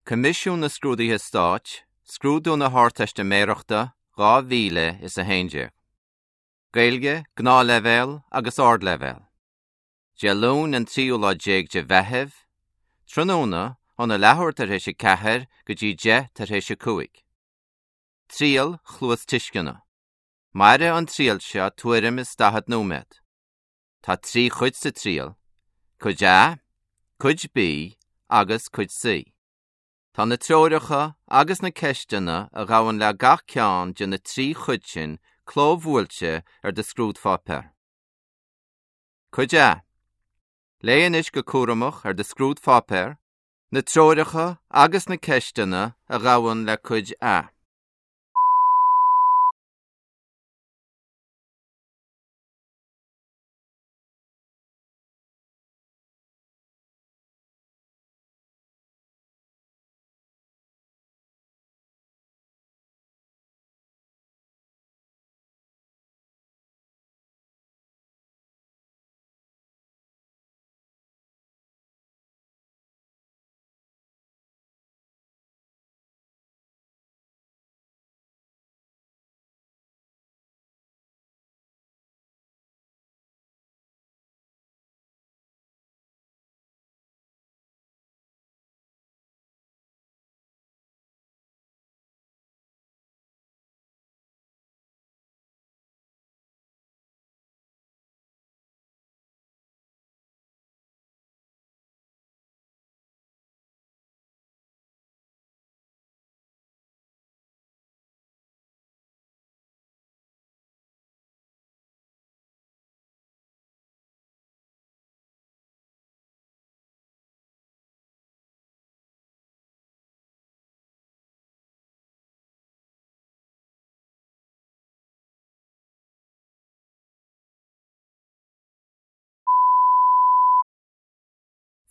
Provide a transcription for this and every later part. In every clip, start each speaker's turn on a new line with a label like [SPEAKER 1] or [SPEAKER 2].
[SPEAKER 1] Coimisiún na Scrúduithe Stáit, Scrúdú na hArdteistiméireachta 2011. Gaeilge, Gnáthleibhéal agus Ardleibhéal. Dé Luain an tríú lá déag de Mheitheamh, tráthnóna, óna leathuair tar éis 4 go dtí 10 tar éis 5. Triail chluastuisceana. Mairfidh an triail seo tuairim is 40 nóiméad. Tá 3 chuid sa triail, Cuid A, Cuid B agus Cuid C. Tá na treoracha agus na ceisteanna a ghabhann le gach ceann de na 3 chuid sin clóbhuailte ar do scrúdpháipéar. Cuid A. Léigh anois go cúramach ar do scrúdpháipéar na treoracha agus na ceisteanna a ghabhann le Cuid A.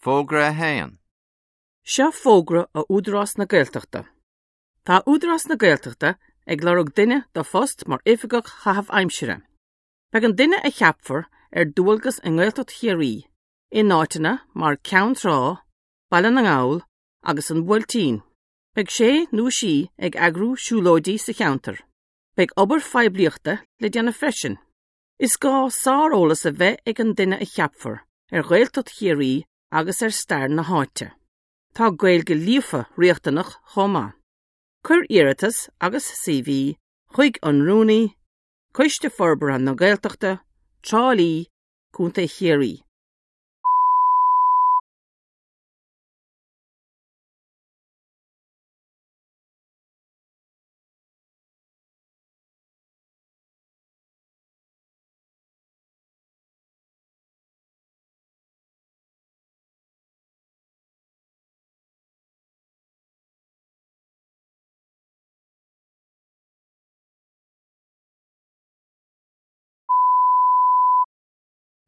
[SPEAKER 1] Fógra 1.
[SPEAKER 2] Seo fógra ó Údarás na Gaeltachta. Tá Údarás na Gaeltachta ag lorg duine do phost mar Oifigeach Chaitheamh Aimsire. Beidh an duine a cheapfar ar dualgas i nGaeltacht Chiarraí, in áiteanna mar Ceann Trá, Baile na nGall agus an Buailtín. Beidh sé nó sí ag eagrú siúlóidí sa cheantar. Beidh obair phoiblíochta le déanamh freisin. Is gá sáreolas a bheith ag an duine a cheapfar ar Ghaeltacht Chiarraí agus ar stair na háite. Tá Gaeilge líofa riachtanach chomh maith. Cuir iarratas agus CV chuig an Rúnaí, Coiste Forbartha na Gaeltachta, Trá Lí, Co. Chiarraí.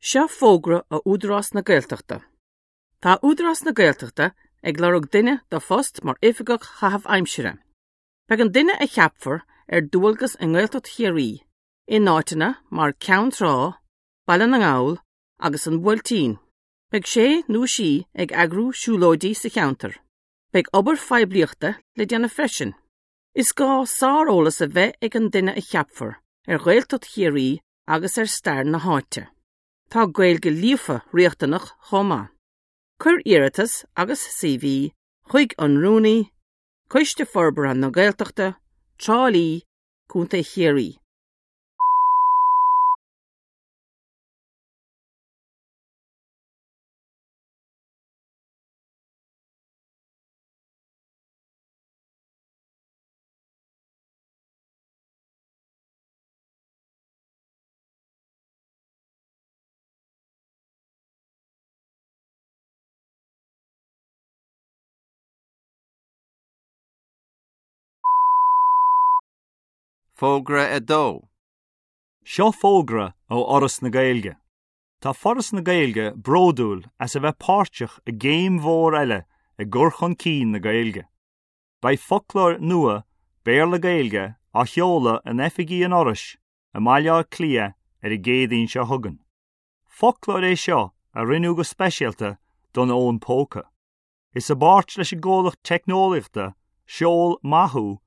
[SPEAKER 2] Seo fógra ó Údarás na Gaeltachta. Tá Údarás na Gaeltachta ag lorg duine do phost mar Oifigeach Chaitheamh Aimsire. Beidh an duine a cheapfar ar dualgas i nGaeltacht Chiarraí, in áiteanna mar Ceann Trá, Baile na nGall agus an Buailtín. Beidh sé nó sí ag eagrú siúlóidí sa cheantar. Beidh obair phoiblíochta le déanamh freisin. Is gá sáreolas a bheith ag an duine a cheapfar ar Ghaeltacht Chiarraí agus ar stair na háite. Tá Gaeilge líofa riachtanach chomh maith. Cuir iarratas agus CV chuig an Rúnaí, Coiste Forbartha na Gaeltachta, Trá Lí, Co. Chiarraí.
[SPEAKER 1] Fógra 2.
[SPEAKER 3] Seo fógra ó Fhoras na Gaeilge. Tá Foras na Gaeilge bródúil as a bheith páirteach i gcéim mhór eile i gcur chun cinn na Gaeilge. Beidh foclóir nua Béarla-Gaeilge á sheoladh in oifigí an Fhorais i mBaile Átha Cliath ar an gCéadaoin seo chugainn. Foclóir é seo a rinneadh go speisialta don fhón póca. Is i bpáirt leis an gcomhlacht teicneolaíochta Seol Maith Thú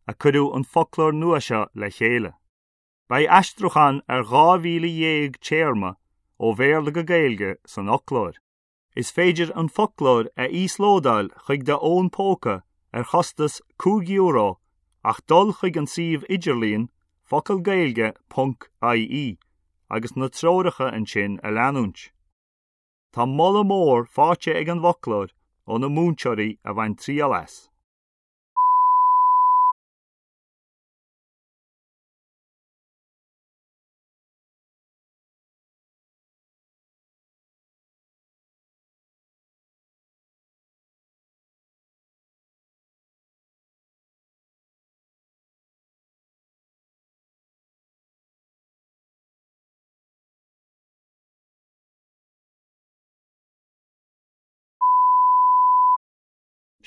[SPEAKER 3] a cuireadh an foclóir nua seo le chéile. Beidh aistriúchán ar 12,000 téarma ó Bhéarla go Gaeilge san fhoclóir. Is féidir an foclóir a íoslódáil chuig do fhón póca ar chostas €5 ach dul chuig an suíomh idirlíon focalgaeilge.ie agus na treoracha ansin a leanúint. Tá moladh mór faighte ag an bhfoclóir ó na múinteoirí a bhain triail as.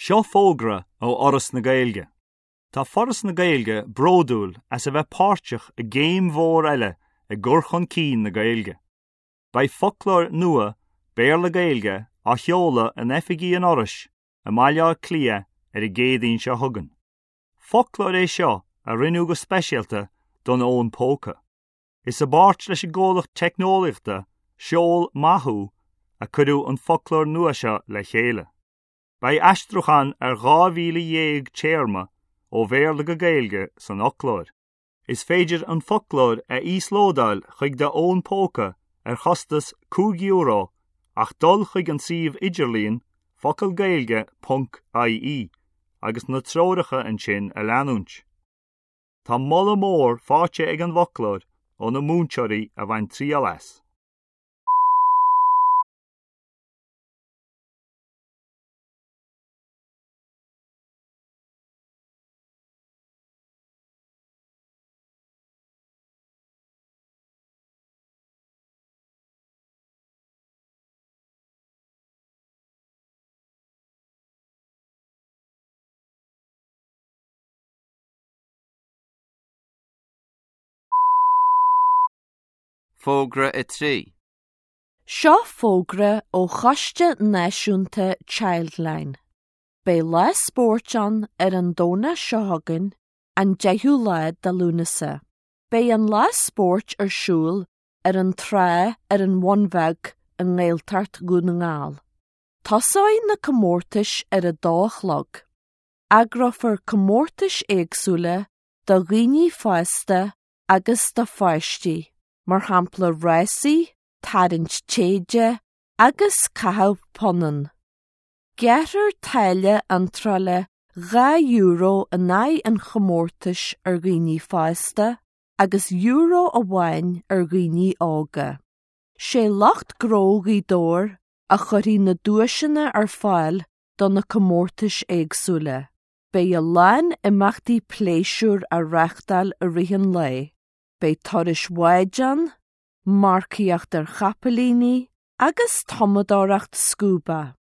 [SPEAKER 3] Seo fógra ó Fhoras na Gaeilge. Tá Foras na Gaeilge bródúil as a bheith páirteach i gcéim mhór eile i gcur chun cinn na Gaeilge. Beidh foclóir nua Béarla-Gaeilge á sheoladh in oifigí an Fhorais i mBaile Átha Cliath ar an gCéadaoin seo chugainn. Foclóir é seo a rinneadh go speisialta don fhón póca. Is i bpáirt leis an gcomhlacht teicneolaíochta Seol Maith Thú a cuireadh an foclóir nua seo le chéile. Beidh aistriúchán ar 12,000 téarma ó Bhéarla go Gaeilge san fhoclóir. Is féidir an foclóir a íoslódáil chuig do fhón póca ar chostas €5 ach dul chuig an suíomh idirlíon focalgaeilge.ie agus na treoracha ansin a leanúint. Tá moladh mór faighte ag an bhfoclóir ó na múinteoirí a bhain triail as.
[SPEAKER 1] Fógra 3.
[SPEAKER 4] Seo fógra ó Choiste Náisiúnta Childline. Beidh lá spóirt ann ar an Domhnach seo chugainn, an 10ú lá de Lúnasa. Beidh an lá spóirt ar siúl ar an trá ar an Bhun Bheag i nGaeltacht Dhún na nGall. Tosóidh na comórtais ar a dó a chlog. Eagrófar comórtais éagsúla do dhaoine fásta agus do pháistí, mar shampla rásaí, tarraingt téide agus caitheamh punann. Gearrfar táille iontrála €2 in aghaidh an chomórtais ar dhaoine fásta agus euro amháin ar dhaoine óga. Sé lucht gnó Ghaoth Dobhair a chuirfidh na duaiseanna ar fáil do na comórtais éagsúla. Beidh a lán imeachtaí pléisiúir á reáchtáil i rith an lae. Beidh turais bháid ann, marcaíocht ar chapaillíní agus tumadóireacht scúba.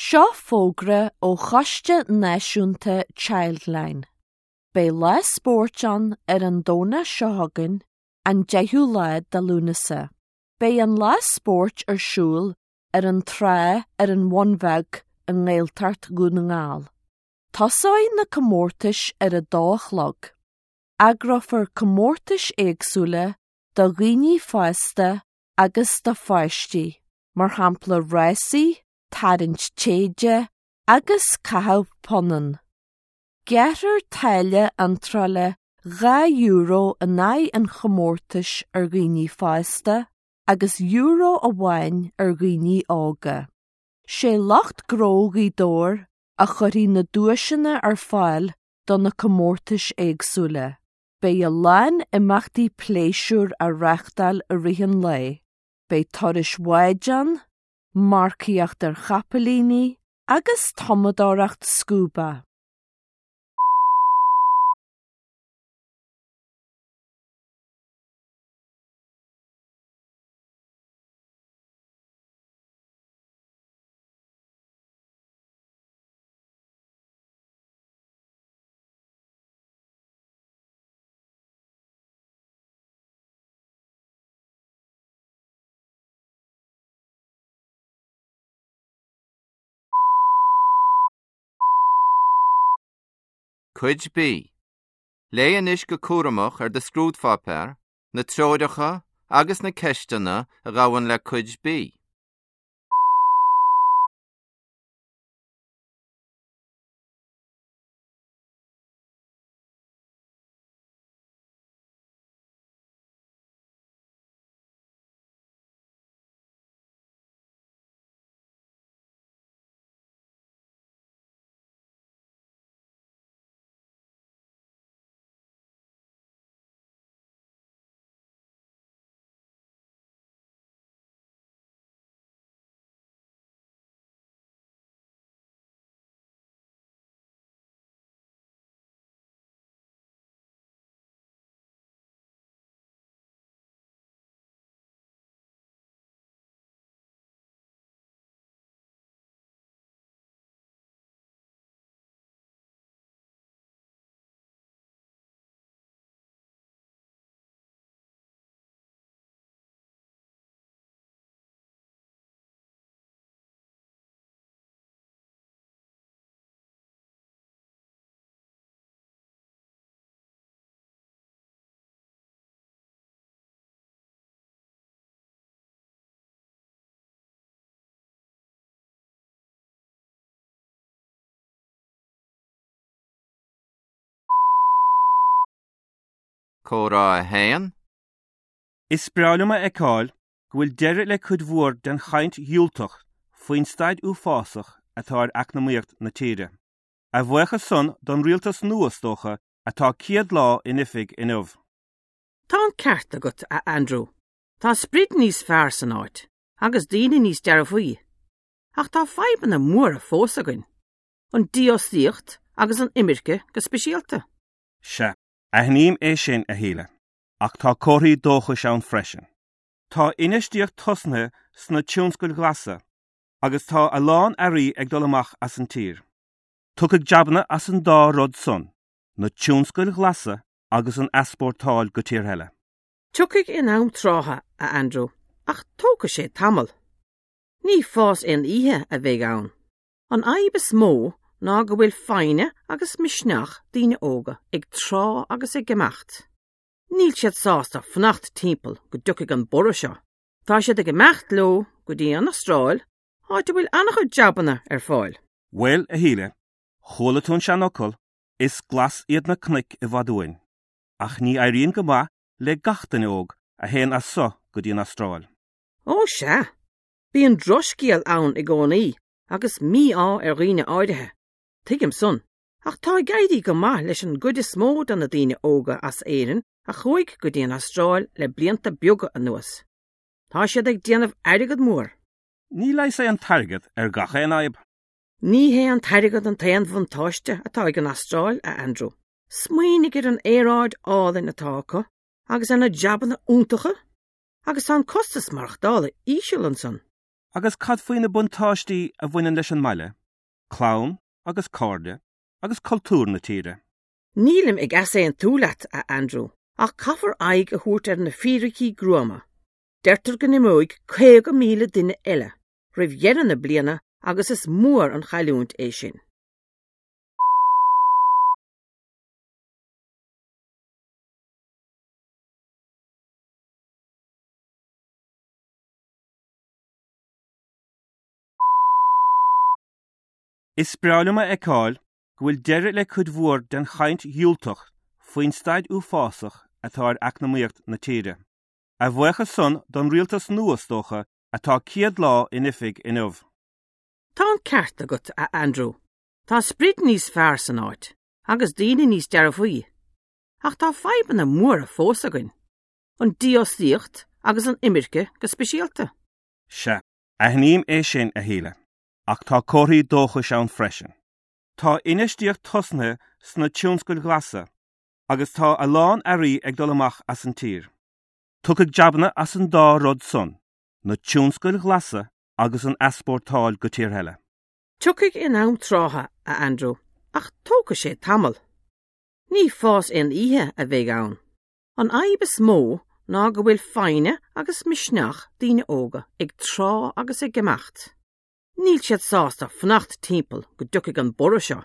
[SPEAKER 4] Seo fógra ó Choiste Náisiúnta Childline. Beidh lá spóirt ann ar an Domhnach seo chugainn, an 10ú lá de Lúnasa. Beidh an lá spóirt ar siúl ar an trá ar an Bhun Bheag i nGaeltacht Dhún na nGall. Tosóidh na comórtais ar a dó a chlog. Eagrófar comórtais éagsúla do dhaoine fásta agus do pháistí, mar shampla rásaí, tarraingt téide agus caitheamh punann. Gearrfar táille iontrála €2 in aghaidh an chomórtais ar dhaoine fásta agus euro amháin ar dhaoine óga. Sé lucht gnó Ghaoth Dobhair a chuirfidh na duaiseanna ar fáil do na comórtais éagsúla. Beidh a lán imeachtaí pléisiúir á reáchtáil i rith an lae. Beidh turais bháid ann, marcaíocht ar chapaillíní. agus tumadóireacht scúba.
[SPEAKER 1] Cuid B. Léigh anois go cúramach ar do scrúdpháipéar na treoracha agus na ceisteanna a ghabhann le Cuid B. Comhrá 1.
[SPEAKER 5] Is breá liom a fheiceáil go bhfuil deireadh le cuid mhór den chaint dhiúltach faoin staid uafásach atá ar eacnamaíocht na tíre. A bhuíochas san don rialtas nua, is dócha, atá 100 lá in oifig inniu.
[SPEAKER 2] Tá an ceart agat, a Andrew. Tá sprid níos fearr san áit, agus daoine níos dearfaí. Ach tá fadhbanna móra fós againn. An dífhostaíocht agus an imirce go speisialta.
[SPEAKER 5] Sea, aithním é sin, a Shíle, ach tá comharthaí dóchais ann freisin. Tá infheistíocht tosnaithe sna tionscail ghlasa agus tá a lán earraí ag dul amach as an tír. Tiocfaidh jabanna as an dá rud san, na tionscail ghlasa agus an easpórtáil go tíortha eile.
[SPEAKER 2] Tiocfaidh in am trátha, a Andrew, ach tógfaidh sé tamall. Ní fás aon oíche a bheidh ann. An fhadhb is mó ná go bhfuil foighne agus misneach daoine óga ag trá agus ag imeacht. Níl siad sásta fanacht timpeall go dtiocfaidh an borradh seo. Tá siad ag imeacht leo go dtí an Astráil, áit a bhfuil an-chuid jabanna ar fáil.
[SPEAKER 5] Bhuel, a Shíle, chuala tú an seanfhocal, is glas iad na cnoic i bhfad uainn. Ach ní éiríonn go maith le gach duine óg a théann as so go dtí an Astráil.
[SPEAKER 2] Ó sea, bíonn drochscéal ann i gcónaí agus mí-ádh ar dhaoine áirithe. Tuigim san. Ach tá ag éirí go maith leis an gcuid is mó de na daoine óga as Éirinn a chuaigh go dtí an Astráil le blianta beaga anuas. Tá siad ag déanamh airgead mór.
[SPEAKER 5] Ní leigheas é an t-airgead ar gach aon fhadhb.
[SPEAKER 2] Ní hé an t-airgead an t-aon bhuntáiste atá ag an Astráil, a Andrew. Smaoinigh ar an aeráid álainn atá acu agus ar na jabanna iontacha. Agus tá an costas maireachtála íseal ansan.
[SPEAKER 5] Agus cad faoi na buntáistí a bhaineann leis an mbaile, clann agus cairde agus cultúr na tíre?
[SPEAKER 2] Nílim ag easaontú leat, a Andrew, ach caithfear aghaidh a thabhairt ar na fíricí gruama. Deirtear go n-imeoidh 50,000 duine eile roimh dheireadh na bliana agus is mór an chailliúint é sin.
[SPEAKER 5] Is breá liom a fheiceáil go bhfuil deireadh le cuid mhór den chaint dhiúltach faoin staid uafásach atá ar eacnamaíocht na tíre. A bhuíochas san don rialtas nua, is dócha, atá 100 lá in oifig inniu.
[SPEAKER 2] Tá an ceart agat, a Andrew. Tá sprid níos fearr san áit, agus daoine níos dearfaí. Ach tá fadhbanna móra fós againn. An dífhostaíocht agus an imirce go speisialta.
[SPEAKER 5] Sea, aithním é sin, a Shíle. ach tá comharthaí dóchais ann freisin. Tá infheistíocht tosnaithe sna tionscail ghlasa agus tá a lán earraí ag dul amach as an tír. Tiocfaidh jabanna as an dá rud san, na tionscail ghlasa agus an easpórtáil go tíortha eile.
[SPEAKER 2] Tiocfaidh in am trátha, a Andrew, ach tógfaidh sé tamall. Ní fás aon oíche a bheidh ann. An fhadhb is mó ná go bhfuil foighne agus misneach daoine óga ag trá agus ag imeacht. Níl siad sásta fanacht timpeall go dtiocfaidh an borradh seo.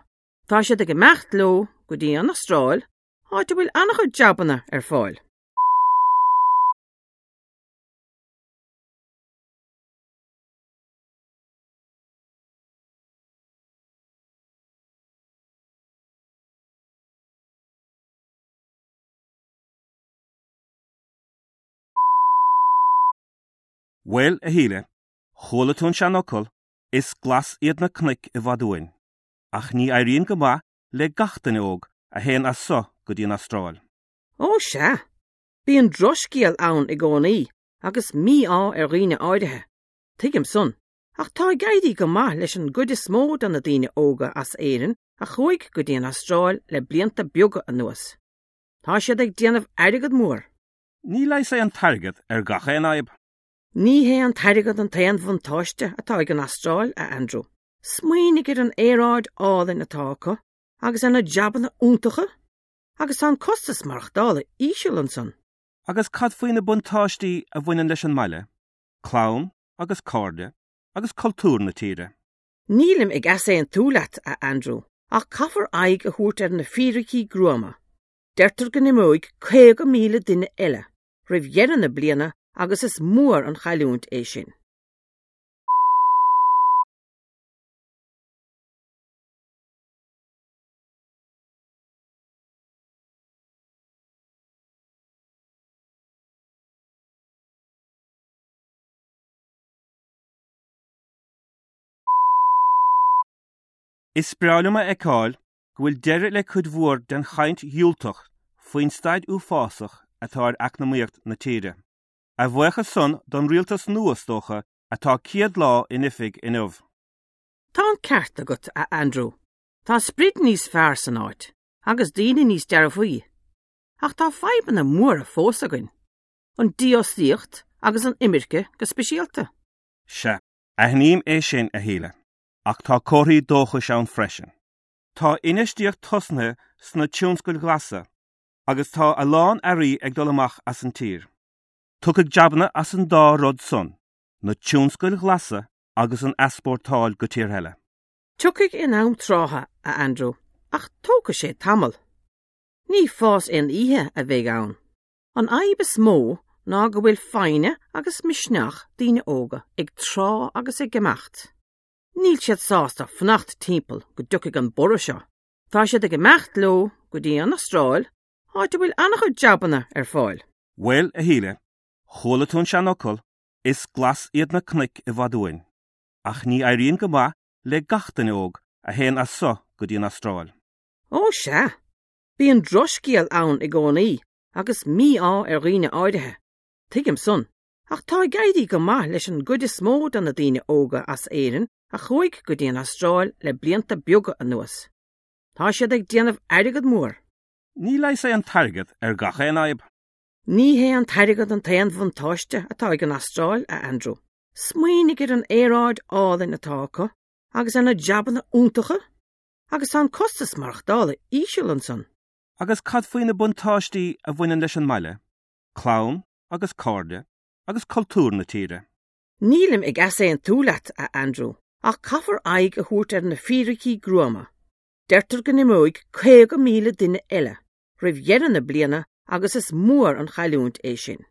[SPEAKER 2] Tá siad ag imeacht leo go dtí an Astráil, áit a bhfuil an-chuid jabanna ar fáil.
[SPEAKER 5] Bhuel, a Shíle, chuala tú an seanfhocal, 'Is glas iad na cnoic i bhfad uainn'. Ach ní éiríonn go maith le gach duine óg a théann as so go dtí an Astráil.
[SPEAKER 2] Ó sea, bíonn drochscéal ann i gcónaí agus mí-ádh ar dhaoine áirithe. Tuigim san. Ach tá ag éirí go maith leis an gcuid is mó de na daoine óga as Éirinn a chuaigh go dtí an Astráil le blianta beaga anuas. Tá siad ag déanamh airgead mór.
[SPEAKER 5] Ní leigheas é an t-airgead ar gach aon fhadhb.
[SPEAKER 2] Ní hé an t-airgead an t-aon bhuntáiste atá ag an Astráil, a Andrew. Smaoinigh ar an aeráid álainn atá acu agus ar na jabanna iontacha. Agus tá an costas maireachtála íseal ansan.
[SPEAKER 5] Agus cad faoi na buntáistí a bhaineann leis an mbaile, clann agus cairde agus cultúr na tíre?
[SPEAKER 2] Nílim ag easaontú leat, a Andrew, ach caithfear aghaidh a thabhairt ar na fíricí gruama. Deirtear go n-imeoidh 50,000 duine eile roimh dheireadh na bliana agus is mór an chailliúint é sin.
[SPEAKER 5] Is breá liom a fheiceáil go bhfuil deireadh le cuid mhór den chaint dhiúltach faoin staid uafásach atá ar eacnamaíocht na tíre. A bhuíochas san don rialtas nua, is dócha, atá 100 lá in oifig inniu.
[SPEAKER 2] Tá an ceart agat, a Andrew. Tá sprid níos fearr san áit, agus daoine níos dearfaí. Ach tá fadhbanna móra fós againn. An dífhostaíocht agus an imirce go speisialta.
[SPEAKER 5] Sea, aithním é sin, a Shíle. Ach tá comharthaí dóchais ann freisin. Tá infheistíocht tosnaithe sna tionscail ghlasa agus tá a lán earraí ag dul amach as an tír. Tiocfaidh jabanna as an dá rud san, na tionscail ghlasa agus an easpórtáil go tíortha eile.
[SPEAKER 2] Tiocfaidh in am trátha, a Andrew, ach tógfaidh sé tamall. Ní fás aon oíche a bheidh ann. An fhadhb is mó ná go bhfuil foighne agus misneach daoine óga ag trá agus ag imeacht. Níl siad sásta fanacht timpeall go dtiocfaidh an borradh seo. Tá siad ag imeacht leo go dtí an Astráil, áit a bhfuil an-chuid jabanna ar fáil.
[SPEAKER 5] Bhuel, a Shíle, chuala tú an seanfhocal, 'Is glas iad na cnoic i bhfad uainn'. Ach ní éiríonn go maith le gach duine óg a théann as so go dtí an Astráil.
[SPEAKER 2] Ó sea, bíonn drochscéal ann i gcónaí agus mí-ádh ar dhaoine áirithe. Tuigim san. Ach tá ag éirí go maith leis an gcuid is mó de na daoine óga as Éirinn a chuaigh go dtí an Astráil le blianta beaga anuas. Tá siad ag déanamh airgead mór.
[SPEAKER 5] Ní leigheas é an t-airgead ar gach aon fhadhb.
[SPEAKER 2] Ní hé an t-airgead an t-aon bhuntáiste atá ag an Astráil, a Andrew. Smaoinigh ar an aeráid álainn atá acu agus ar na jabanna iontacha. Agus tá an costas maireachtála íseal ansan.
[SPEAKER 5] Agus cad faoi na buntáistí a bhaineann leis an mbaile, clann agus cairde agus cultúr na tíre?
[SPEAKER 2] Nílim ag easaontú leat, a Andrew, ach caithfear aghaidh a thabhairt ar na fíricí gruama. Deirtear go n-imeoidh 50,000 duine eile roimh dheireadh na bliana agus is mór an chailliúint é sin.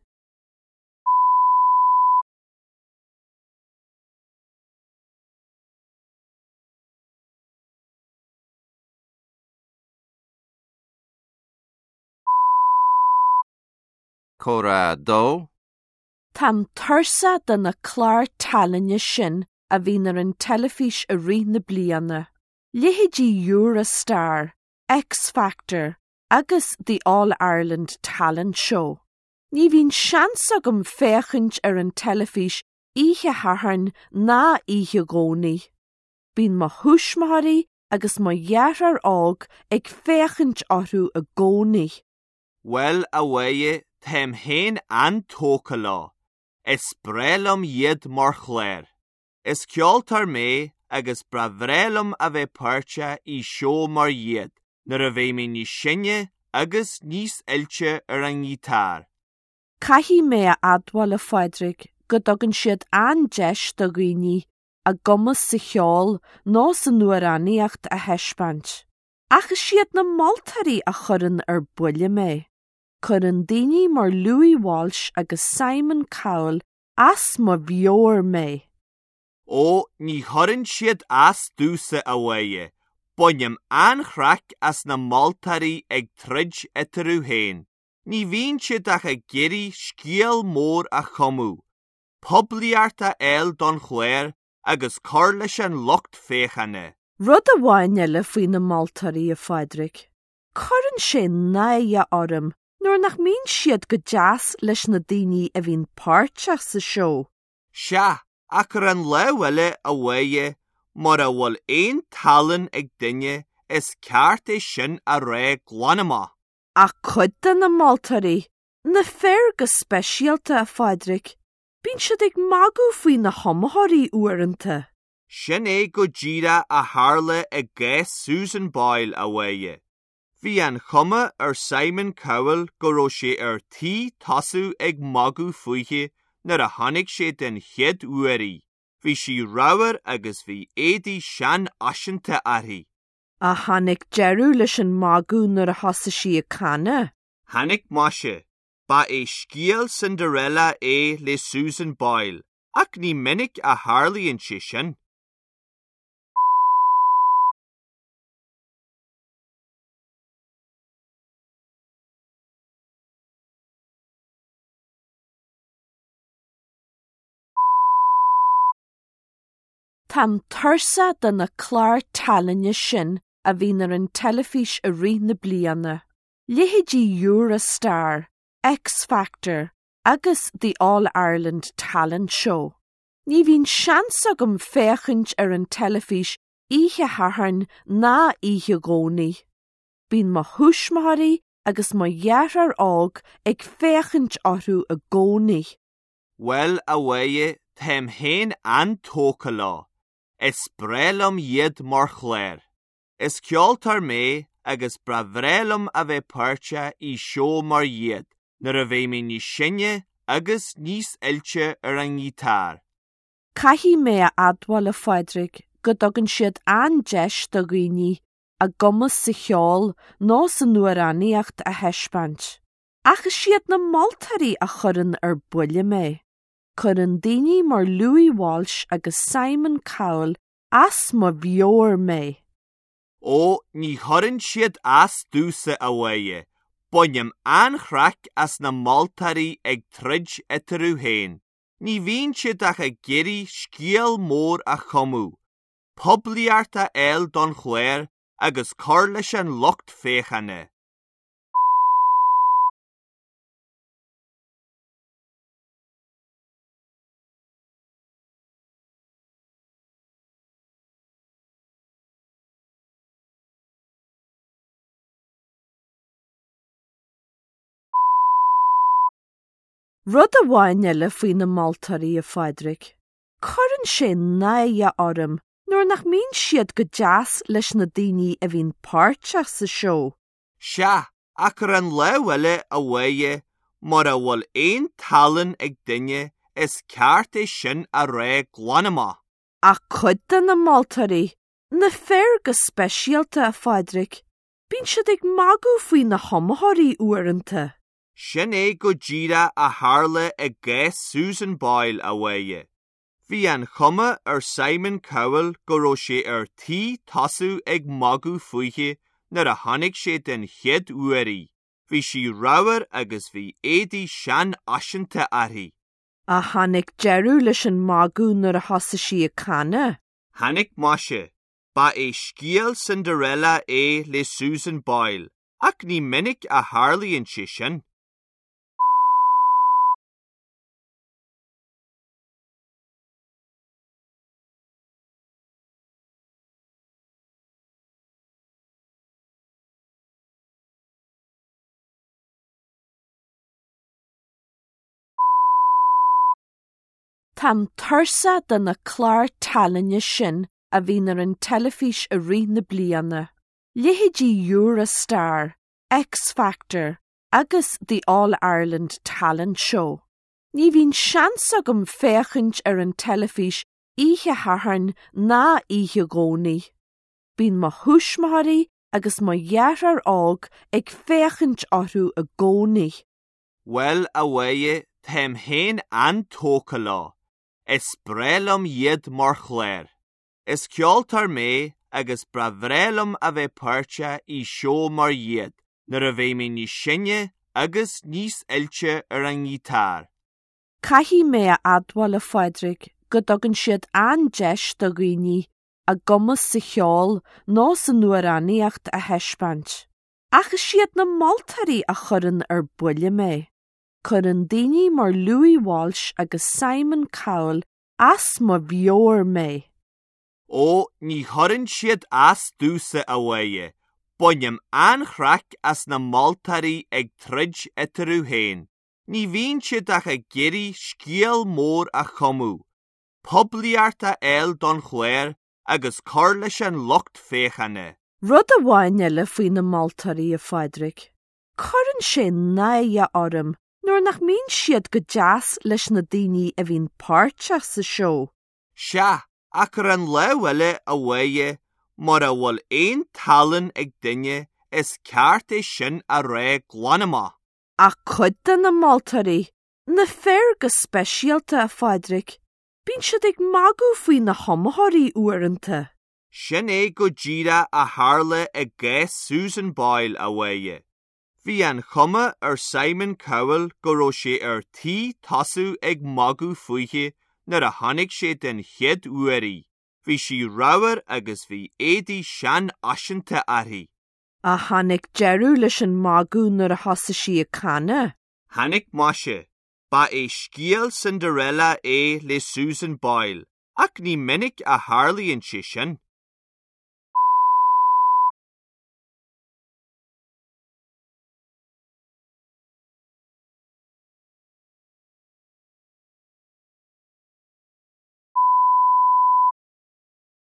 [SPEAKER 1] Comhrá 2.
[SPEAKER 4] Táim tuirseach de na cláir tallainne sin a bhíonn ar an teilifís i rith na bliana, leithéidí Eurostar, X Factor agus The All Ireland Talent Show. Ní bhíonn seans agam féachaint ar an teilifís oíche Shathairn ná oíche Dhomhnaigh. Bíonn mo thuismitheoirí agus mo dheartháir óg ag féachaint orthu i gcónaí.
[SPEAKER 6] Bhuel, a Mháire, táim féin an-tógtha leo. Is breá liom iad mar chlár. Is ceoltóir mé agus ba bhreá liom a bheith páirteach i seó mar iad nuair a bheidh mé níos sine agus níos oilte ar an ngiotár.
[SPEAKER 4] Caithfidh mé a admháil, a Phádraig, go dtugann siad an-deis do dhaoine a gcumas sa cheol nó san amhránaíocht a thaispeáint. Ach is iad na moltóirí a chuireann ar buile mé. Cuireann daoine mar Louis Walsh agus Simon Cowell as mo mheabhair mé.
[SPEAKER 6] Ó, ní chuireann siad as domhsa, a Mháire. Bainim an-chraic as na moltóirí ag troid eatarthu féin. Ní bhíonn siad ach ag iarraidh scéal mór a chumadh. poiblíocht a fháil don chlár agus cur leis an lucht féachana.
[SPEAKER 4] Rud amháin eile faoi na moltóirí, a Phádraig. Cuireann sé náire orm nuair nach mbíonn siad go deas leis na daoine a bhíonn páirteach sa seó.
[SPEAKER 6] Sea, ach ar an lámh eile, a Mháire, mura bhfuil aon tallann ag duine, is ceart é sin a rá glan amach.
[SPEAKER 4] Ach cuid de na moltóirí, Na fir go speisialta, a Phádraig, bíonn siad ag magadh faoi na hiomaitheoirí uaireanta.
[SPEAKER 6] Sin é go díreach a tharla i gcás Susan Boyle, a Mháire. Bhí an chuma ar Simon Cowell go raibh sé ar tí tosú ag magadh fúithi nuair a chonaic sé den chéad uair í. Bhí sí ramhar agus bhí éadaí seanfhaiseanta uirthi.
[SPEAKER 4] Ach tháinig deireadh leis an magadh nuair a thosaigh sí ag canadh.
[SPEAKER 6] Tháinig muise. Ba é scéal Cinderella é le Susan Boyle, ach ní minic a tharlaíonn sé sin.
[SPEAKER 4] Táim tuirseach de na cláir tallainne sin a bhíonn ar an teilifís i rith na bliana. Leithéidí Eurostar, X Factor agus The All Ireland Talent Show. Ní bhíonn seans agam féachaint ar an teilifís oíche Shathairn ná oíche Dhomhnaigh. Bíonn mo thuismitheoirí agus mo dheartháir óg ag féachaint orthu i gcónaí.
[SPEAKER 6] Bhuel, a Mháire, táim féin an-tógtha leo. Is breá liom iad mar chlár. Is ceoltóir mé agus ba bhreá liom a bheith páirteach i seó mar iad nuair a bheidh mé níos sine agus níos oilte ar an ngiotár.
[SPEAKER 4] Caithfidh mé a admháil, a Phádraig, go dtugann siad an-deis do dhaoine a gcumas sa cheol nó san amhránaíocht a thaispeáint. Ach is iad na moltóirí a chuireann ar buile mé. Cuireann daoine mar Louis Walsh agus Simon Cowell as mo mheabhair mé.
[SPEAKER 6] Ó, ní chuireann siad as domhsa, a Mháire. Bainim an-chraic as na moltóirí ag troid eatarthu féin. Ní bhíonn siad ach ag iarraidh scéal mór a chumadh, poiblíocht a fháil don chlár agus cur leis an lucht féachana.
[SPEAKER 4] Rud amháin eile faoi na moltóirí, a Phádraig. Cuireann sé náire orm nuair nach mbíonn siad go deas leis na daoine a bhíonn páirteach sa seó.
[SPEAKER 6] Sea, ach ar an lámh eile, a Mháire, mura bhfuil aon tallann ag duine, is ceart é sin a rá glan amach.
[SPEAKER 4] Ach cuid de na moltóirí, na fir go speisialta, a Phádraig, bíonn siad ag magadh faoi na hiomaitheoirí uaireanta.
[SPEAKER 6] Sin é go díreach a tharla i gcás Susan Boyle, a Mháire. Bhí an chuma ar Simon Cowell go raibh sé ar tí tosú ag magadh fúithi nuair a chonaic sé den chéad uair í. Bhí sí ramhar agus bhí éadaí seanfhaiseanta uirthi.
[SPEAKER 4] Ach tháinig deireadh leis an magadh nuair a thosaigh sí ag canadh.
[SPEAKER 6] Tháinig muise. Ba é scéal Cinderella é le Susan Boyle, ach ní minic a tharlaíonn sé sin.
[SPEAKER 4] Táim tuirseach de na cláir tallainne sin a bhíonn ar an teilifís i rith na bliana, leithéidí Eurostar, X Factor agus The All Ireland Talent Show. Ní bhíonn seans agam féachaint ar an teilifís oíche Shathairn ná oíche Dhomhnaigh. Bíonn mo thuismitheoirí agus mo dheartháir óg ag féachaint orthu i gcónaí.
[SPEAKER 6] Bhuel, a Mháire, táim féin an-tógtha leo. Is breá liom iad mar chlár. Is ceoltóir mé agus ba bhreá liom a bheith páirteach i seó mar iad nuair a bheidh mé níos sine agus níos oilte ar an ngiotár.
[SPEAKER 4] Caithfidh mé a admháil, a Phádraig, go dtugann siad an-deis do dhaoine a gcumas sa cheol nó san amhránaíocht a thaispeáint. Ach is iad na moltóirí a chuireann ar buile mé. Cuireann daoine mar Louis Walsh agus Simon Cowell as mo mheabhair mé.
[SPEAKER 6] Ó, ní chuireann siad as domhsa, a Mháire. Bainim an-chraic as na moltóirí ag troid eatarthu féin. Ní bhíonn siad ach ag iarraidh scéal mór a chumadh, poiblíocht a fháil don chlár agus cur leis an lucht féachana.
[SPEAKER 4] Rud amháin eile faoi na moltóirí, a Phádraig. Cuireann sé náire orm nuair nach mbíonn siad go deas leis na daoine a bhíonn páirteach sa seó.
[SPEAKER 6] Sea, ach ar an lámh eile, a Mháire, mura bhfuil aon tallann ag duine, is ceart é sin a rá glan amach.
[SPEAKER 4] Ach cuid de na moltóirí, na fir go speisialta, a Phádraig, bíonn siad ag magadh faoi na hiomaitheoirí uaireanta.
[SPEAKER 6] Sin é go díreach a tharla i gcás Susan Boyle, a Mháire. Bhí an chuma ar Simon Cowell go raibh sé ar tí tosú ag magadh fúithi nuair a chonaic sé den chéad uair í. Bhí sí ramhar agus bhí éadaí seanfhaiseanta uirthi.
[SPEAKER 4] Ach tháinig deireadh leis an magadh nuair a thosaigh sí ag canadh.
[SPEAKER 6] Tháinig muise. Ba é scéal Cinderella é le Susan Boyle, ach ní minic a tharlaíonn sé sin.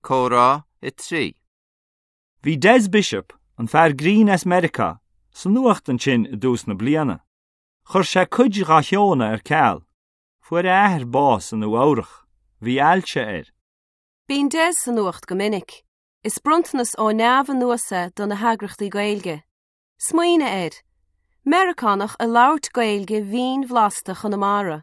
[SPEAKER 1] Comhrá 3.
[SPEAKER 3] Bhí Des Bishop, an fear grinn as Meiriceá, sa nuacht ansin i dtús na bliana. Chuir sé cuid dá sheónna ar ceal. Fuair a athair bás i Nua Eabhrach. Bhí ailse air.
[SPEAKER 7] Bíonn Des sa nuacht go minic. Is bronntanas ó neamh anuas é do na heagraíochtaí Gaeilge. Smaoinigh air. Meiriceánach ag labhairt Gaeilge mhín bhlasta Chonamara.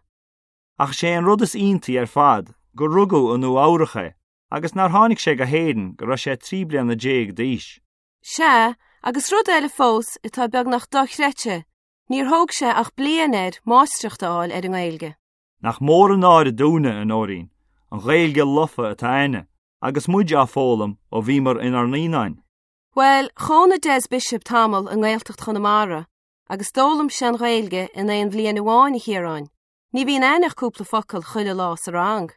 [SPEAKER 3] Ach is é an rud is iontaí ar fad gur rugadh i Nua Eabhrach é agus nár tháinig sé go hÉirinn go raibh sé 13 bliana d'aois.
[SPEAKER 7] Sea, agus rud eile fós atá beagnach dochreidte, níor thóg sé ach bliain air máistreacht a fháil ar an nGaeilge.
[SPEAKER 3] Nach mór an náire dúinne, a Nóirín, an Ghaeilge lofa atá againne agus muid á foghlaim ó bhíomar inár naíonáin.
[SPEAKER 7] Bhuel, chónaigh Des Bishop tamall i nGaeltacht Chonamara agus d'fhoghlaim sé an Ghaeilge in aon bhliain amháin, a Chiaráin. Ní bhíonn againn ach cúpla focal chuile lá sa rang.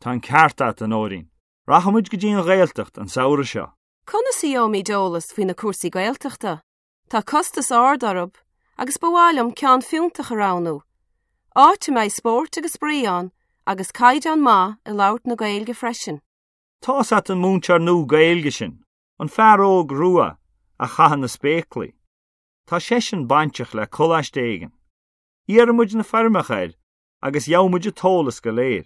[SPEAKER 3] Tá an ceart a't, a Nóirín. Rachaimid go dtí an Ghaeltacht an samhradh seo.
[SPEAKER 7] Conas a gheobhaimid eolas faoi na cúrsaí Gaeltachta? Tá costas ard orthu agus ba mhaith liom ceann fiúntach a roghnú. Áit a mbeidh spórt agus spraoi ann agus caighdeán maith i labhairt na Gaeilge freisin.
[SPEAKER 3] Tá's a't an múinteoir nua Gaeilge sin, an fear óg rua a chaitheann na spéaclaí. Tá seisean bainteach le coláiste éigin. Iarrfaidh muid na foirmeacha air agus gheobhaidh muid an t-eolas go léir.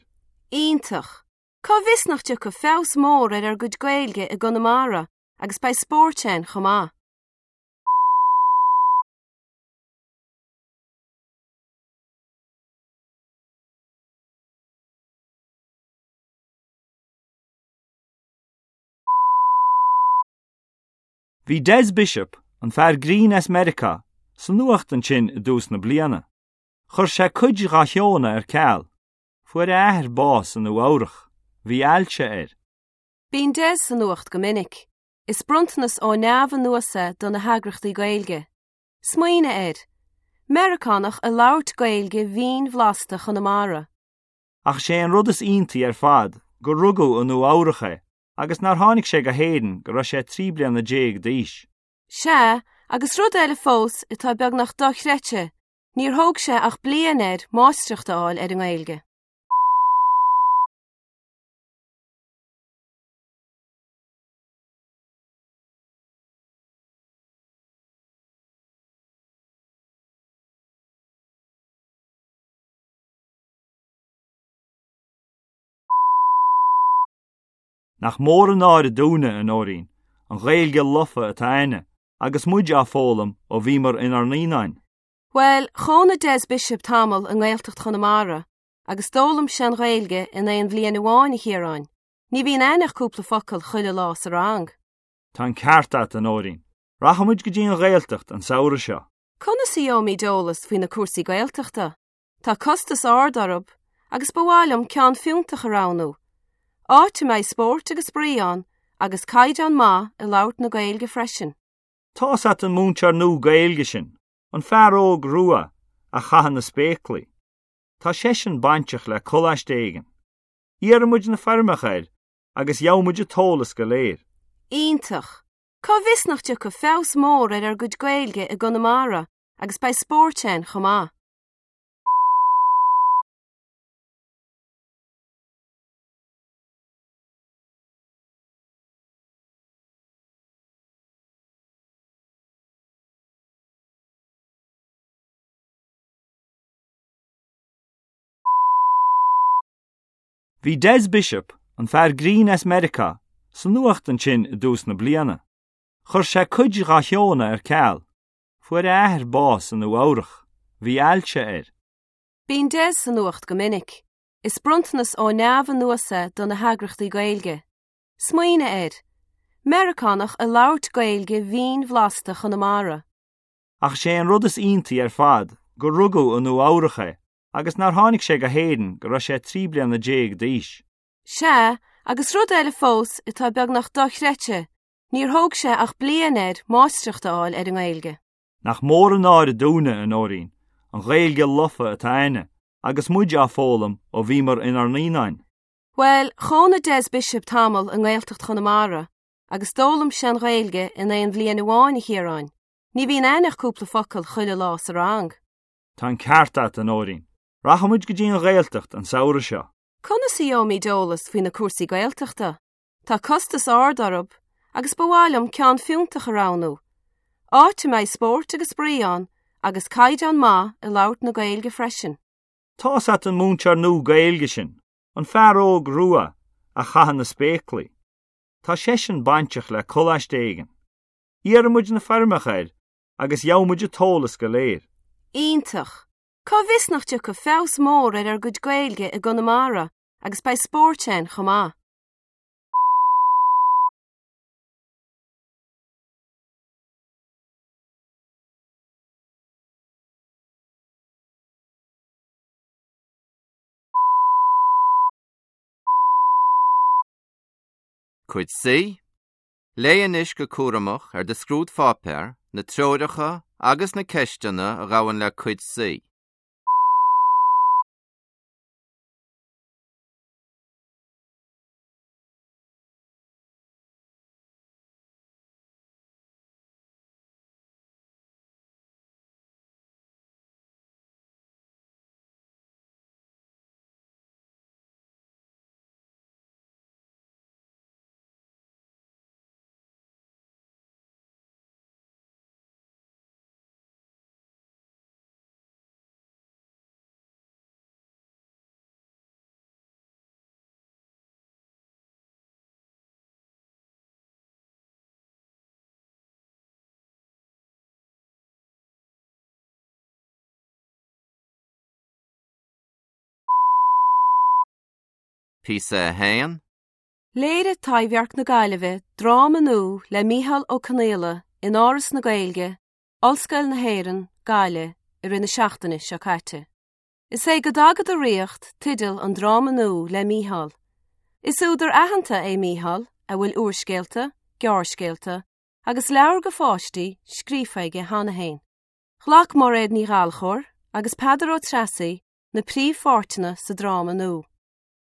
[SPEAKER 7] Iontach! Cá bhfios nach dtiocfaidh feabhas mór ar ár gcuid Gaeilge i gConamara agus beidh spórt ann chomh maith.
[SPEAKER 3] Bhí Des Bishop, an fear grinn as Meiriceá, sa nuacht ansin i dtús na bliana. Chuir sé cuid dá sheónna ar ceal. Fuair a athair bás i Nua Eabhrach. Bhí ailse air.
[SPEAKER 7] Bíonn Des sa nuacht go minic. Is bronntanas ó neamh anuas é do na heagraíochtaí Gaeilge. Smaoinigh air. Meiriceánach ag labhairt Gaeilge mhín bhlasta Chonamara.
[SPEAKER 3] Ach is é an rud is iontaí ar fad gur rugadh i Nua Eabhrach é agus nár tháinig sé go hÉirinn go raibh sé 13 bliana d'aois.
[SPEAKER 7] Sea, agus rud eile fós atá beagnach dochreidte, níor thóg sé ach bliain air máistreacht a fháil ar an nGaeilge.
[SPEAKER 3] Nach mór an náire dúinne, a Nóirín, an Ghaeilge lofa atá a'inne agus muid á foghlaim ó bhíomar inár naíonáin.
[SPEAKER 7] Bhuel, chónaigh Des Bishop tamall i nGaeltacht Chonamara agus d'fhoghlaim sé an Ghaeilge in aon bhliain amháin, a Chiaráin. Ní bhíonn a'inn ach cúpla focal chuile lá sa rang.
[SPEAKER 3] Tá an ceart a't, a Nóirín. Rachaimid go dtí an Ghaeltacht an samhradh seo.
[SPEAKER 7] Conas a gheobhaimid eolas faoi na cúrsaí Gaeltachta? Tá costas ard orthu agus ba mhaith liom ceann fiúntach a roghnú. Áit a mbeidh spórt agus spraoi ann agus caighdeán maith i labhairt na Gaeilge freisin.
[SPEAKER 3] Tá's a't an múinteoir nua Gaeilge sin, an fear óg rua a chaitheann na spéaclaí. Tá seisean bainteach le coláiste éigin. Iarrfaidh muid na foirmeacha air agus gheobhaidh muid an t-eolas go léir.
[SPEAKER 7] Iontach! Cá bhfios nach dtiocfaidh feabhas mór ar ár gcuid Gaeilge i gConamara agus beidh spórt ann chomh maith.
[SPEAKER 3] Bhí Des Bishop, an fear grinn as Meiriceá, sa nuacht ansin i dtús na bliana. Chuir sé cuid dá sheónna ar ceal. Fuair a athair bás i Nua Eabhrach. Bhí ailse air.
[SPEAKER 7] Bíonn Des sa nuacht go minic. Is bronntanas ó neamh anuas é do na heagraíochtaí Gaeilge. Smaoinigh air. Meiriceánach ag labhairt Gaeilge mhín bhlasta Chonamara.
[SPEAKER 3] Ach is é an rud is iontaí ar fad gur rugadh i Nua Eabhrach é agus nár tháinig sé go hÉirinn go raibh sé 13 bliana d'aois.
[SPEAKER 7] Sea, agus rud eile fós atá beagnach dochreidte, níor thóg sé ach bliain air máistreacht a fháil ar an nGaeilge.
[SPEAKER 3] Nach mór an náire dúinne, a Nóirín, an Ghaeilge lofa atá a'inne agus muid á foghlaim ó bhíomar inár naíonáin.
[SPEAKER 7] Bhuel, chónaigh Des Bishop tamall i nGaeltacht Chonamara agus d'fhoghlaim sé an Ghaeilge in aon bhliain amháin, a Chiaráin. Ní bhíonn a'inn ach cúpla focal chuile lá sa rang.
[SPEAKER 3] Tá an ceart a't, a Nóirín. Rachaimid go dtí an Ghaeltacht an samhradh seo.
[SPEAKER 7] Conas a gheobhaimid eolas faoi na cúrsaí Gaeltachta? Tá costas ard orthu agus ba mhaith liom ceann fiúntach a roghnú. Áit a mbeidh spórt agus spraoi ann agus caighdeán maith i labhairt na Gaeilge freisin.
[SPEAKER 3] Tá's a't an múinteoir nua Gaeilge sin, an fear óg rua a chaitheann na spéaclaí. Tá seisean bainteach le coláiste éigin. Iarrfaidh muid na foirmeacha air agus gheobhaidh muid an t-eolas go léir.
[SPEAKER 7] Iontach! Cá bhfios nach dtiocfaidh feabhas mór ar ár gcuid Gaeilge i gConamara agus beidh spórt ann chomh maith.
[SPEAKER 1] Cuid C. Léigh anois go cúramach ar do scrúdpháipéar na treoracha agus na ceisteanna a ghabhann le Cuid C. Píosa 1.
[SPEAKER 7] Léirigh Taibhdhearc na Gaillimhe dráma nua le Micheál Ó Conghaile in Áras na Gaeilge, Ollscoil na hÉireann, Gaillimh, i rith na seachtaine seo caite. Is é Go dTaga do Ríocht teideal an dráma nua le Micheál. Is údar aitheanta é Micheál a bhfuil úrscéalta, gearrscéalta agus leabhair do pháistí scríofa aige cheana féin. Ghlac Mairéad Ní Ghallchóir agus Peadar Ó Treasaigh na príomhpháirteanna sa dráma nua.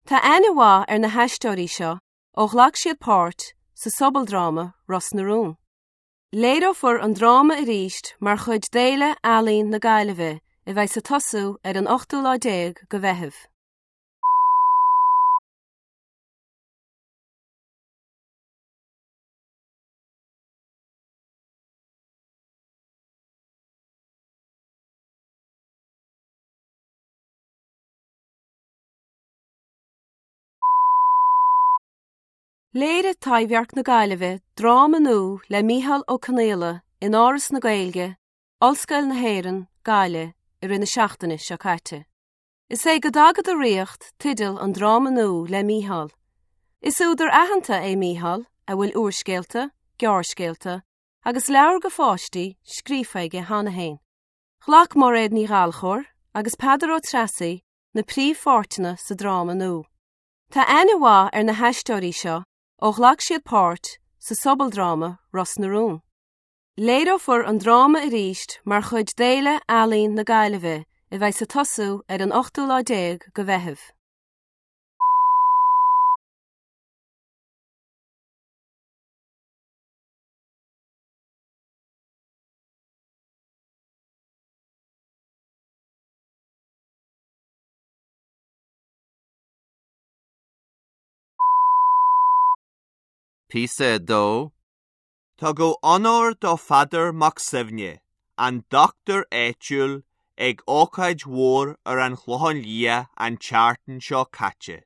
[SPEAKER 7] Tá aithne mhaith ar na haisteoirí seo ó ghlac siad páirt sa sobaldráma Ros na Rún. Léireofar an dráma arís mar chuid d'Fhéile Ealaíon na Gaillimhe a bheidh ag tosú ar an ochtú lá déag de Mheitheamh. Léirigh Taibhdhearc na Gaillimhe dráma nua le Micheál Ó Conaola in Áras na Gaeilge, Ollscoil na hÉireann, Gaillimh, i rith na seachtaine seo caite. Is é Go dTaga Do Ríocht teideal an dráma nua le Micheál. Is údar aitheanta é Micheál a bhfuil úrscéalta, gearrscéalta agus leabhair do pháistí scríofa aige cheana féin. Ghlac Mairéad Ní Ghallchóir agus Peadar Ó Treasaigh na príomhpháirteanna sa dráma nua. Tá aithne mhaith ar na haisteoirí seo ó ghlac siad páirt sa sobaldráma Ros na Rún. Léireofar an dráma arís mar chuid d'Fhéile Ealaíon na Gaillimhe a bheidh ag tosú ar an ochtú lá déag de Mheitheamh.
[SPEAKER 1] Píosa 2.
[SPEAKER 6] Tugadh onóir do Pheadar Mac Suibhne, an dochtúir áitiúil, ag ócáid mhór ar an Chlochán Liath an tseachtain seo caite.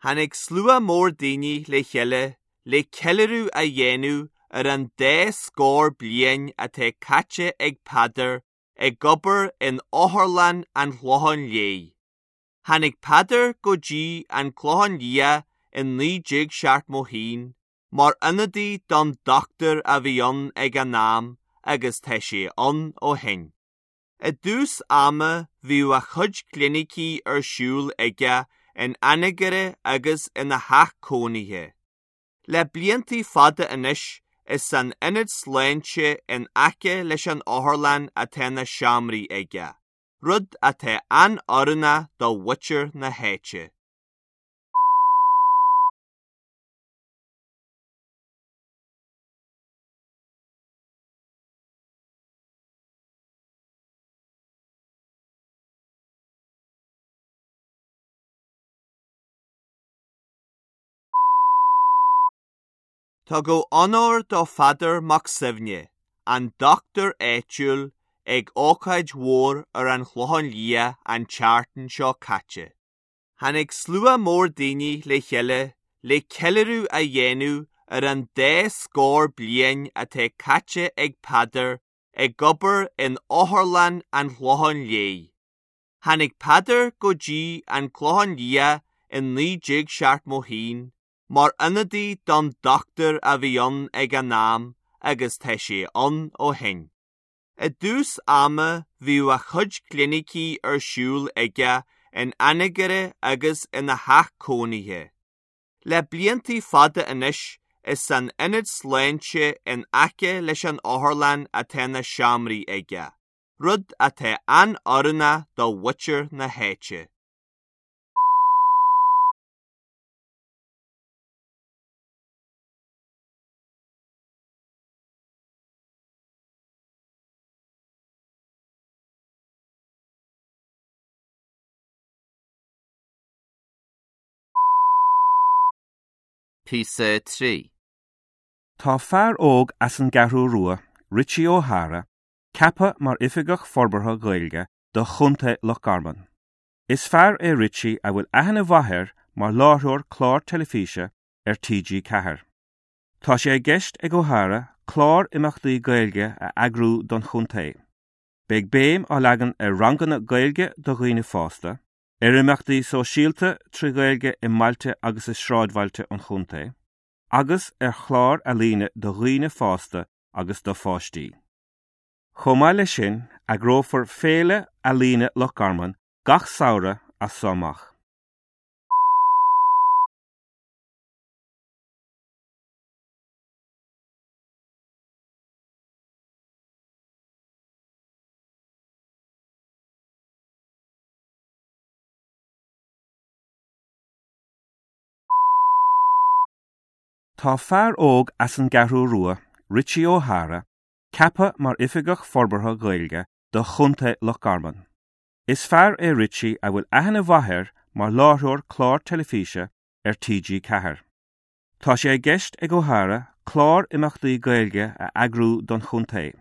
[SPEAKER 6] Tháinig slua mór daoine le chéile le ceiliúradh a dhéanamh ar an dá scór bliain atá caite ag Peadar ag obair in Otharlann an Chlocháin Léith. Tháinig Peadar go dtí an Clochán Liath in 1971 mar ionadaí don dochtúir a bhí ann ag an am agus tá sé ann ó shin. I dtús ama bhíodh a chuid clinicí ar siúl aige in Anagaire agus ina theach cónaithe. Le blianta fada anois is san ionad sláinte in aice leis an otharlann atá na seomraí aige, rud atá an-oiriúnach do mhuintir na háite. Tugadh onóir do Pheadar Mac Suibhne, an dochtúir áitiúil, ag ócáid mhór ar an Chlochán Liath an tseachtain seo caite. Tháinig slua mór daoine le chéile le ceiliúradh a dhéanamh ar an dá scór bliain atá caite ag Peadar ag obair in Otharlann an Chlocháin Léith. Tháinig Peadar go dtí an Clochán Liath in 1971 mar ionadaí don dochtúir a bhí ann ag an am agus tá sé ann ó shin. I dtús ama bhíodh a chuid clinicí ar siúl aige in Anagaire agus ina theach cónaithe. Le blianta fada anois is san ionad sláinte in aice leis an otharlann atá na seomraí aige, rud atá an-oiriúnach do mhuintir na háite.
[SPEAKER 1] Píosa 3.
[SPEAKER 5] Tá fear óg as an gCeathrú Rua, Richie O'Hara, ceaptha mar Oifigeach Forbartha Gaeilge do Chontae Loch Garman. Is fear é Richie a bhfuil aithne mhaith air mar láithreoir clár teilifíse ar TG4. Tá sé i gceist ag O'Hara clár imeachtaí Gaeilge a eagrú don chontae. Beidh béim á leagan ar ranganna Gaeilge do dhaoine fásta, ar imeachtaí sóisialta trí Ghaeilge i mbailte agus i sráidbhailte an chontae, agus ar chláir ealaíne do dhaoine fásta agus do pháistí. Chomh maith leis sin, eagrófar Féile Ealaíne Loch Garman gach samhradh as so amach. Tá fear óg as an gCeathrú Rua, Richie O'Hara, ceaptha mar Oifigeach Forbartha Gaeilge do Chontae Loch Garman. Is fear é Richie a bhfuil aithne mhaith air mar láithreoir clár teilifíse ar TG4. Tá sé i gceist ag O'Hara clár imeachtaí Gaeilge a eagrú don chontae.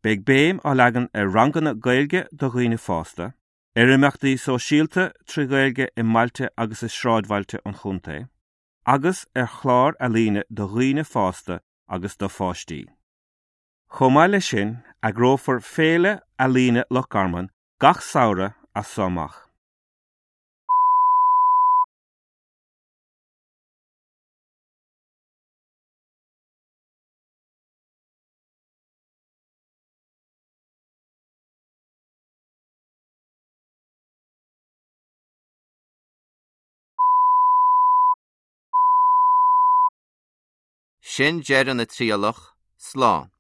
[SPEAKER 5] Beidh béim á leagan ar ranganna Gaeilge do dhaoine fásta, ar imeachtaí sóisialta trí Ghaeilge i mbailte agus i sráidbhailte an chontae, agus ar chláir ealaíne do dhaoine fásta agus do pháistí. Chomh maith leis sin, eagrófar Féile Ealaíne Loch Garman gach samhradh as so amach.
[SPEAKER 1] Sin deireadh na trialach, slán.